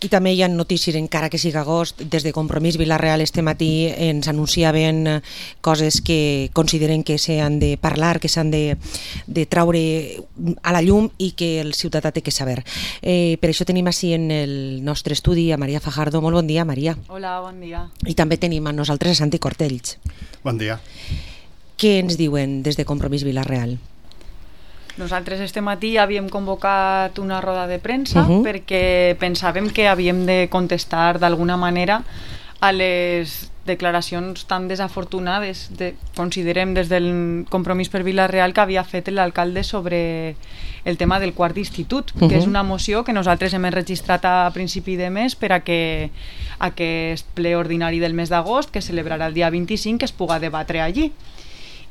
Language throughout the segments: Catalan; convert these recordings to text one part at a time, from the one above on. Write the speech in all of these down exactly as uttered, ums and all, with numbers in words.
I també hi ha notícies, encara que sigui agost, des de Compromís Vila-real este matí ens anunciaven coses que consideren que s'han de parlar, que s'han de, de traure a la llum i que el ciutadà té que saber. Eh, per això tenim així en el nostre estudi a Maria Fajardo. Molt bon dia, Maria. Hola, bon dia. I també tenim a nosaltres a Santi Cortells. Bon dia. Què ens diuen des de Compromís Vila-real? Nosaltres este matí havíem convocat una roda de premsa Uh-huh. perquè pensàvem que havíem de contestar d'alguna manera a les declaracions tan desafortunades, de, considerem des del Compromís per Vila-real, que havia fet l'alcalde sobre el tema del quart d'institut, Uh-huh. que és una moció que nosaltres hem enregistrat a principi de mes per a que aquest ple ordinari del mes d'agost, que celebrarà el dia vint-i-cinc, es puga debatre allí.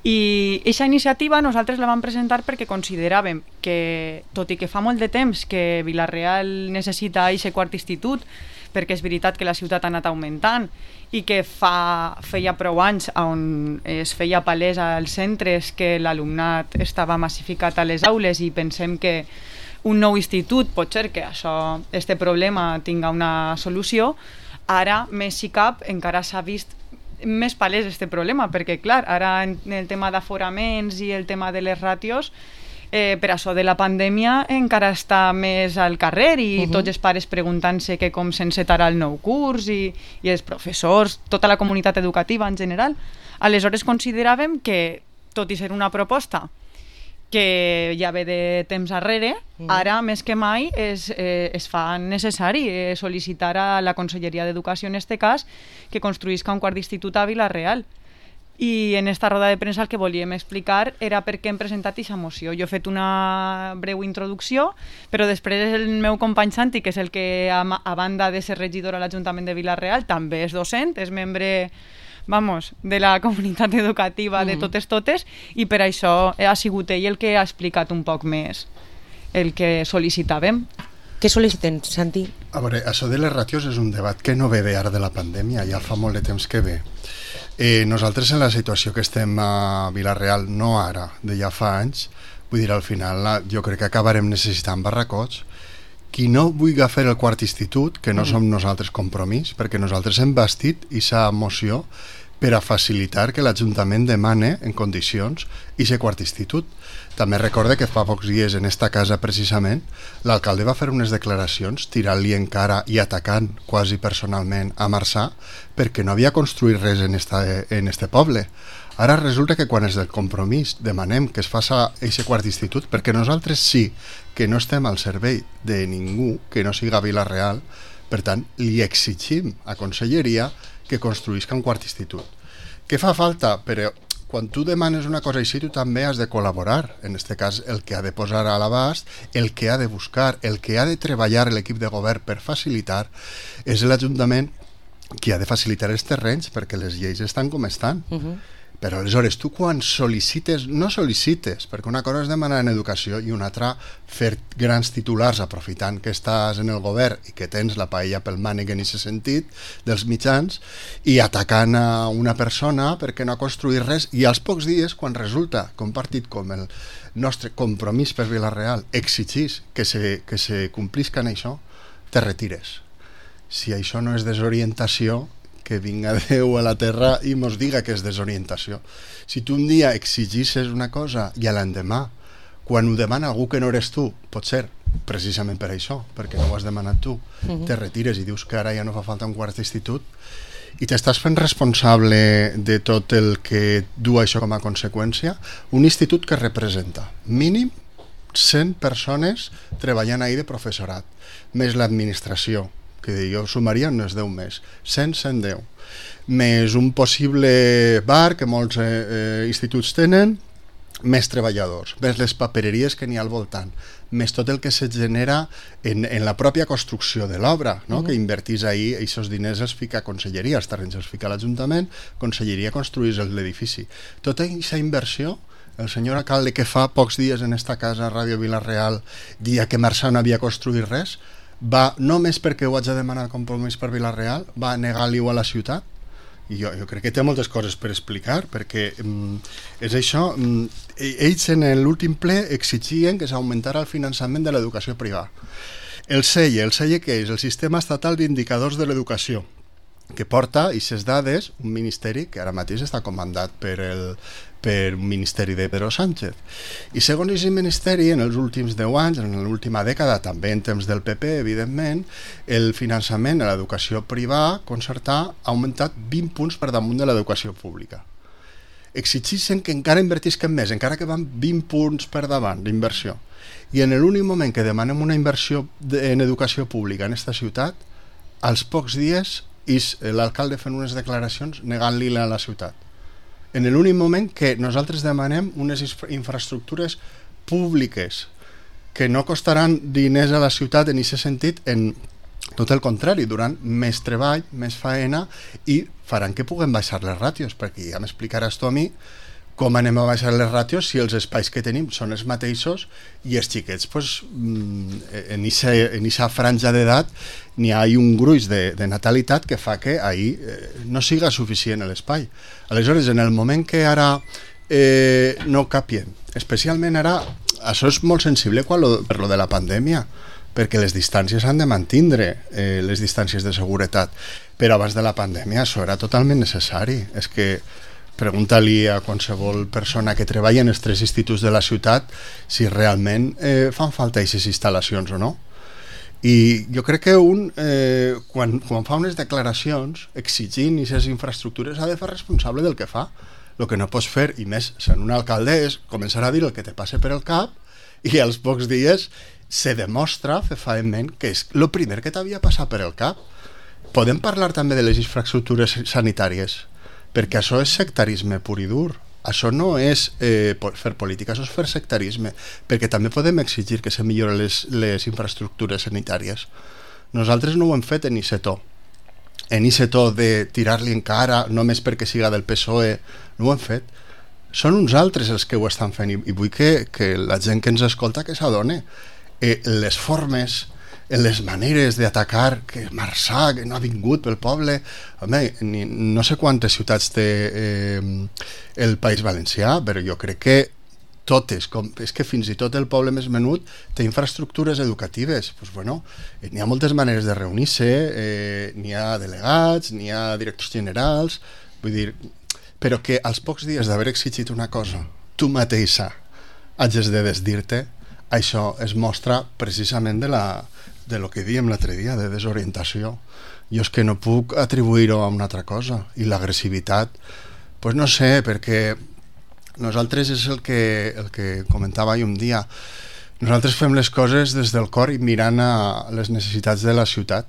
I aquesta iniciativa nosaltres la vam presentar perquè consideràvem que, tot i que fa molt de temps que Vila-real necessita aquest quart institut, perquè és veritat que la ciutat ha anat augmentant i que fa, feia prou anys on es feia palès als centres que l'alumnat estava massificat a les aules, i pensem que un nou institut pot ser que això, este problema tinga una solució. Ara, més si cap, encara s'ha vist més palès este problema, perquè clar, ara en el tema d'aforaments i el tema de les ràtios, eh, per això de la pandèmia encara està més al carrer, i uh-huh. tots els pares preguntant-se que com s'encetarà el nou curs, i, i els professors, tota la comunitat educativa en general. Aleshores consideràvem que, tot i ser una proposta que ja ve de temps arrere, mm. ara més que mai es, eh, es fa necessari eh, sol·licitar a la Conselleria d'Educació, en este cas, que construïsca un quart d'institut a Vila-real. I en esta roda de premsa el que volíem explicar era per què hem presentat aquesta moció. Jo he fet una breu introducció, però després el meu company Santi, que és el que, a, a banda de ser regidor a l'Ajuntament de Vila-real, també és docent, és membre vamos, de la comunitat educativa mm. de totes totes, i per això ha sigut ell el que ha explicat un poc més el que sol·licitàvem. Què sol·liciten, Santi? A veure, això de les ràtios és un debat que no ve d'ara de la pandèmia, ja fa molt de temps que ve. Eh, nosaltres en la situació que estem a Vila-real, no ara, de ja fa anys, vull dir, al final la, jo crec que acabarem necessitant barracots. Qui no vulgui fer el quart institut, que no mm. som nosaltres Compromís, perquè nosaltres hem bastit aquesta moció per a facilitar que l'Ajuntament demane en condicions aquest quart institut. També recorde que fa pocs dies en esta casa precisament l'alcalde va fer unes declaracions tirant-li en cara i atacant quasi personalment a Marçà perquè no havia construït res en, esta, en este poble. Ara resulta que quan és del Compromís demanem que es faça aquest quart institut, perquè nosaltres sí que no estem al servei de ningú que no siga Vila-real, per tant li exigim a Conselleria que construïsca un quart institut. Què fa falta? Però quan tu demanes una cosa així, tu també has de col·laborar. En aquest cas, el que ha de posar a l'abast, el que ha de buscar, el que ha de treballar l'equip de govern per facilitar, és l'Ajuntament qui ha de facilitar els terrenys, perquè les lleis estan com estan. Uh-huh. Però aleshores tu quan sol·licites, no sol·licites, perquè una cosa és demanar en educació i una altra fer grans titulars aprofitant que estàs en el govern i que tens la paella pel mànec en aquest sentit dels mitjans i atacant a una persona perquè no ha construït res, i als pocs dies quan resulta que un partit com el nostre Compromís per Vila-real exigís que se, que se complisca en això, te retires. Si això no és desorientació, que vinga Déu a la terra i mos diga que és desorientació. Si tu un dia exigisses una cosa i a l'endemà, quan ho demana algú que no eres tu, pot ser precisament per això, perquè no ho has demanat tu, uh-huh. te retires i dius que ara ja no fa falta un quart d'institut i t'estàs fent responsable de tot el que du això com a conseqüència, un institut que representa mínim cent persones treballant ahí de professorat, més l'administració, que jo sumaria unes deu més, cent, cent deu, més un possible bar que molts eh, eh, instituts tenen, més treballadors, més les papereries que n'hi ha al voltant, més tot el que se genera en, en la pròpia construcció de l'obra, no? Uh-huh. Que invertís ahir, aquests diners els fica a Conselleria, els terrenys els fica a l'Ajuntament, Conselleria construís l'edifici. Tota aquesta inversió, el senyor alcalde que fa pocs dies en esta casa, Ràdio Vila-real, dia que Marçà no havia construït res, va, només perquè ho haig de demanar Compromís per Vila-real, va negar-li-ho a la ciutat. I jo, jo crec que té moltes coses per explicar, perquè mm, és això, mm, ells en l'últim ple exigien que s'augmentara el finançament de l'educació privada. El S E I E, el S E I E que és el Sistema Estatal d'Indicadors de l'Educació, que porta aquestes dades un ministeri que ara mateix està comandat per el, per un ministeri de Pedro Sánchez. I segons aquest ministeri, en els últims deu anys, en l'última dècada, també en temps del P P, evidentment, el finançament a l'educació privada concertada ha augmentat vint punts per damunt de l'educació pública. Exigeixen que encara invertisquen més, encara que van vint punts per davant d'inversió. I en l'únic moment que demanem una inversió en educació pública en aquesta ciutat, als pocs dies és l'alcalde fent unes declaracions negant-li-la a la ciutat. En l'únic moment que nosaltres demanem unes infraestructures públiques que no costaran diners a la ciutat en aquest sentit, en tot el contrari, duran més treball, més faena i faran que puguem baixar les ràtios, perquè ja m'explicaràs tu a mi com anem a baixar les ràtios si els espais que tenim són els mateixos i els xiquets, pues, en aquesta franja d'edat n'hi ha un gruix de, de natalitat que fa que ahir eh, no siga suficient l'espai. Aleshores, en el moment que ara eh, no capien, especialment ara, això és molt sensible quan lo, per lo de la pandèmia, perquè les distàncies han de mantindre eh, les distàncies de seguretat, però abans de la pandèmia això era totalment necessari. És que pregunta-li a qualsevol persona que treballa en els tres instituts de la ciutat si realment eh, fan falta aquestes instal·lacions o no. I jo crec que un, eh, quan, quan fa unes declaracions exigint aquestes infraestructures, ha de fer responsable del que fa. El que no pots fer, i més sent un alcalde, és començar a dir el que te passe per el cap i als pocs dies se demostra fefaentment que és el primer que t'havia passat per el cap. Podem parlar també de les infraestructures sanitàries, perquè això és sectarisme pur i dur. Això no és eh, fer política, això és fer sectarisme, perquè també podem exigir que se milloren les, les infraestructures sanitàries. Nosaltres no ho hem fet en I C E T O. En I C E T O de tirar-li en cara, només perquè siga del P S O E, no ho hem fet. Són uns altres els que ho estan fent i, i vull que, que la gent que ens escolta que s'adone. Eh, les formes, les maneres d'atacar, que Marçà, que no ha vingut pel poble, home, ni, no sé quantes ciutats té eh, el País Valencià, però jo crec que totes, com, és que fins i tot el poble més menut té infraestructures educatives. Pues bueno, eh, n'hi ha moltes maneres de reunir-se, eh, n'hi ha delegats, n'hi ha directors generals, vull dir, però que als pocs dies d'haver exigit una cosa, tu mateixa hages de desdir-te, això es mostra precisament de la de lo que diem l'altre dia, de desorientació. Jo és que no puc atribuir-ho a una altra cosa. I l'agressivitat, pues no sé, perquè nosaltres és el que, el que comentava ahir un dia, nosaltres fem les coses des del cor i mirant a les necessitats de la ciutat.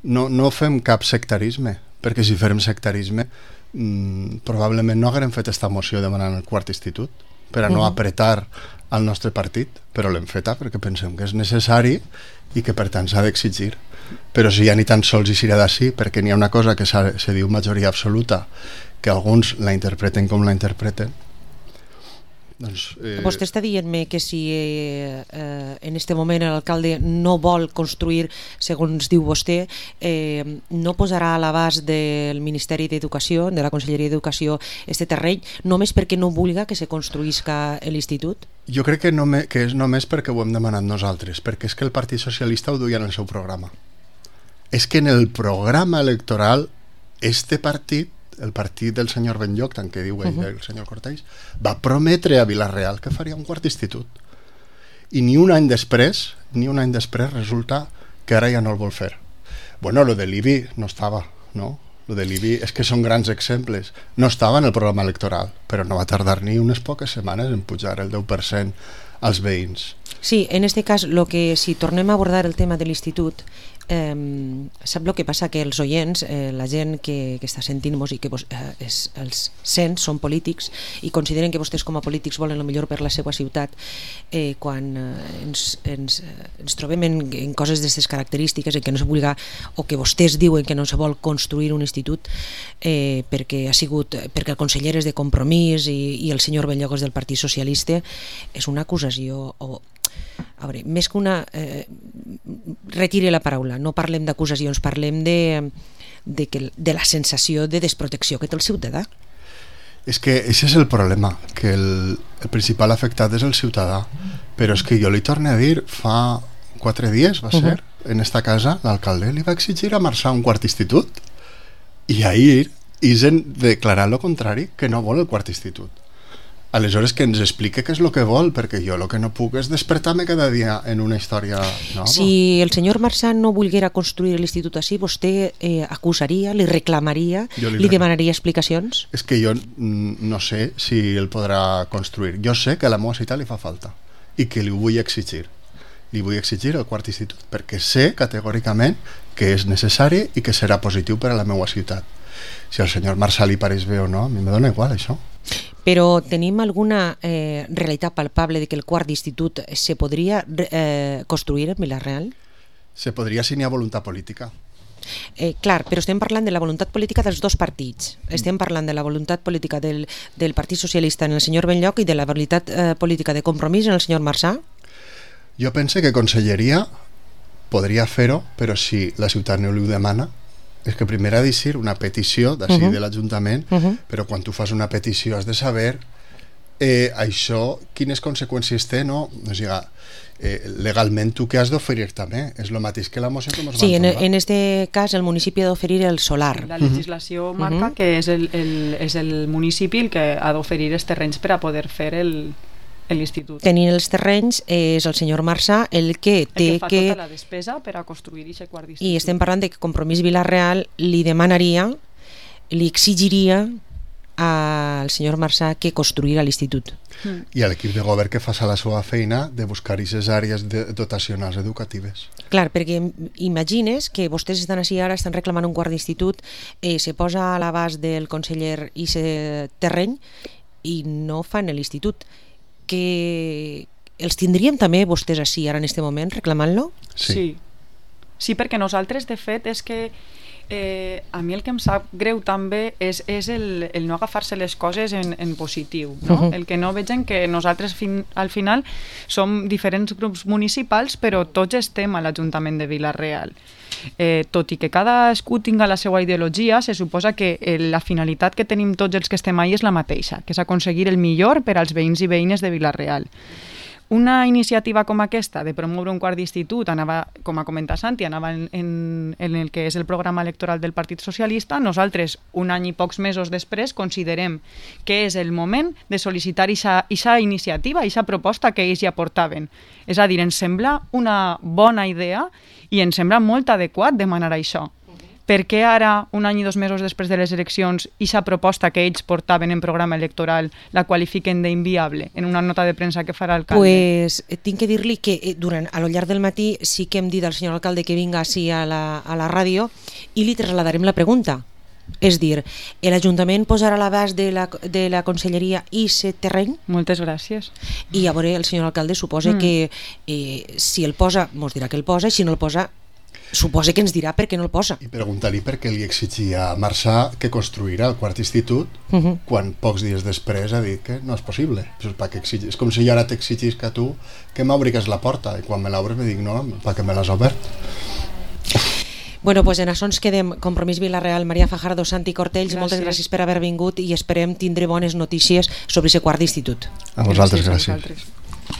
No, no fem cap sectarisme, perquè si fem sectarisme mmm, probablement no haguem fet esta moció demanant el quart institut, per a no apretar al nostre partit, però l'hem feta perquè pensem que és necessari i que per tant s'ha d'exigir. Però si ja ni tan sols hi serà d'ací, perquè n'hi ha una cosa que se diu majoria absoluta, que alguns la interpreten com la interpreten. Doncs, eh... Vostè està dient-me que si eh, eh, en este moment l'alcalde no vol construir, segons diu vostè, eh, no posarà a l'abast del Ministeri d'Educació, de la Conselleria d'Educació, este terreny, només perquè no vulga que se construïsca l'institut? Jo crec que, no me, que és només perquè ho hem demanat nosaltres, perquè és que el Partit Socialista ho duia en el seu programa. És que en el programa electoral este partit, el partit del senyor Benlloc, tant que diu ell, uh-huh. el senyor Cortells, va prometre a Vila-real que faria un quart institut. I ni un any després, ni un any després resulta que ara ja no el vol fer. Bueno, lo de l'I B I no estava, no? Lo de l'I B I és que són grans exemples. No estava en el programa electoral, però no va tardar ni unes poques setmanes en pujar el deu per cent als veïns. Sí, en este cas, lo que, si tornem a abordar el tema de l'institut, eh, sap el que passa? Que els oients, eh, la gent que, que està sentint-nos i que vos, eh, és, els sent són polítics i consideren que vostès com a polítics volen el millor per la seva ciutat, eh, quan eh, ens, ens, ens trobem en, en coses d'aquestes característiques, en què no se vulga, o que vostès diuen que no se vol construir un institut eh, perquè ha sigut, perquè el conseller és de Compromís i, i el senyor Benlloc és del Partit Socialista, és una acusació o a veure, més que una eh, retire la paraula, no parlem d'acusacions, parlem de, de, que, de la sensació de desprotecció que té el ciutadà. És que això és el problema, que el, el principal afectat és el ciutadà, però és que jo li torno a dir, fa quatre dies, va ser, uh-huh. en esta casa, l'alcalde li va exigir a Marçà un quart institut. I ahir Isen declarar lo contrari, que no vol el quart institut. Aleshores que ens explique què és el que vol, perquè jo el que no puc és despertar-me cada dia en una història nova. Si el senyor Marçà no volguera construir l'institut així, vostè eh, acusaria, li reclamaria, li, li demanaria explicacions? És que jo no sé si el podrà construir. Jo sé que a la meva ciutat li fa falta i que li vull exigir. Li vull exigir el quart institut, perquè sé categòricament que és necessari i que serà positiu per a la meva ciutat. Si al senyor Marçà li pareix bé o no, a mi me dona igual això. Però tenim alguna eh, realitat palpable de que el quart d'institut se podria eh, construir en Vila-real? Se podria si n'hi ha voluntat política. Eh, clar, però estem parlant de la voluntat política dels dos partits. Estem parlant de la voluntat política del, del Partit Socialista en el senyor Benlloc i de la voluntat eh, política de Compromís en el senyor Marçà? Jo penso que Conselleria podria fer-ho, però si la ciutat no li ho demana, és que primer ha de ser una petició d'ací uh -huh. de l'Ajuntament, uh -huh. però quan tu fas una petició has de saber eh, això, quines conseqüències té, no? O sigui, eh, legalment tu què has d'oferir també? És el mateix que la moció que ens sí, van en, en este cas el municipi ha d'oferir el solar. La legislació uh -huh. marca uh -huh. que és el, el, és el municipi el que ha d'oferir els terrenys per a poder fer el l'institut. Tenint els terrenys és el senyor Marçà el que té el que fa que... tota la despesa per a construir aquest quart d'institut. I estem parlant de que Compromís Vila-real li demanaria, li exigiria al senyor Marçà que construirà l'institut. Mm. I a l'equip de govern que fa la seva feina de buscar aquestes àrees de dotacionals educatives. Clar, perquè imagines que vostès estan així ara, estan reclamant un quart d'institut, eh, se posa a l'abast del conseller i se terreny i no fan l'institut. Que els tindríem també vostès així ara en aquest moment reclamant-lo? Sí. sí. Sí, perquè nosaltres, de fet, és que eh, a mi el que em sap greu també és, és el, el no agafar-se les coses en, en positiu, no? Uh-huh. El que no vegin que nosaltres fin, al final som diferents grups municipals, però tots estem a l'Ajuntament de Vila-real. Eh, tot i que cadascú tinga la seva ideologia, se suposa que eh, la finalitat que tenim tots els que estem ahí és la mateixa, que és aconseguir el millor per als veïns i veïnes de Vila-real. Una iniciativa com aquesta, de promoure un quart d'institut, anava, com ha comentat Santi, anava en, en, en el que és el programa electoral del Partit Socialista. Nosaltres, un any i pocs mesos després, considerem que és el moment de sol·licitar aquesta iniciativa, aquesta proposta que ells ja portaven. És a dir, ens sembla una bona idea i ens sembla molt adequat demanar això. Per què ara, un any i dos mesos després de les eleccions, aquesta proposta que ells portaven en programa electoral la qualifiquen d'inviable en una nota de premsa que farà l'alcalde? Pues tinc que dir-li que durant, a lo llarg del matí sí que hem dit al senyor alcalde que vinga així a la, a la ràdio i li trasladarem la pregunta. És dir, l'Ajuntament posarà a l'abast de, la, de la Conselleria i aquest terreny? Moltes gràcies. I a veure, el senyor alcalde suposa mm. que eh, si el posa, mos dirà que el posa, i si no el posa, suposa que ens dirà per què no el posa. I preguntar-li per què li exigia a Marçà que construirà el quart institut uh -huh. quan pocs dies després ha dit que no és possible. És, és com si jo ara t'exigís que tu que m'obrigues la porta i quan me l'obres me dic no, perquè me l'has obert. Bueno, pues en això ens quedem. Compromís Vila-real, Maria Fajardo, Santi Cortells, gràcies. Moltes gràcies per haver vingut i esperem tindre bones notícies sobre aquest quart d'institut. A vosaltres, gràcies. gràcies.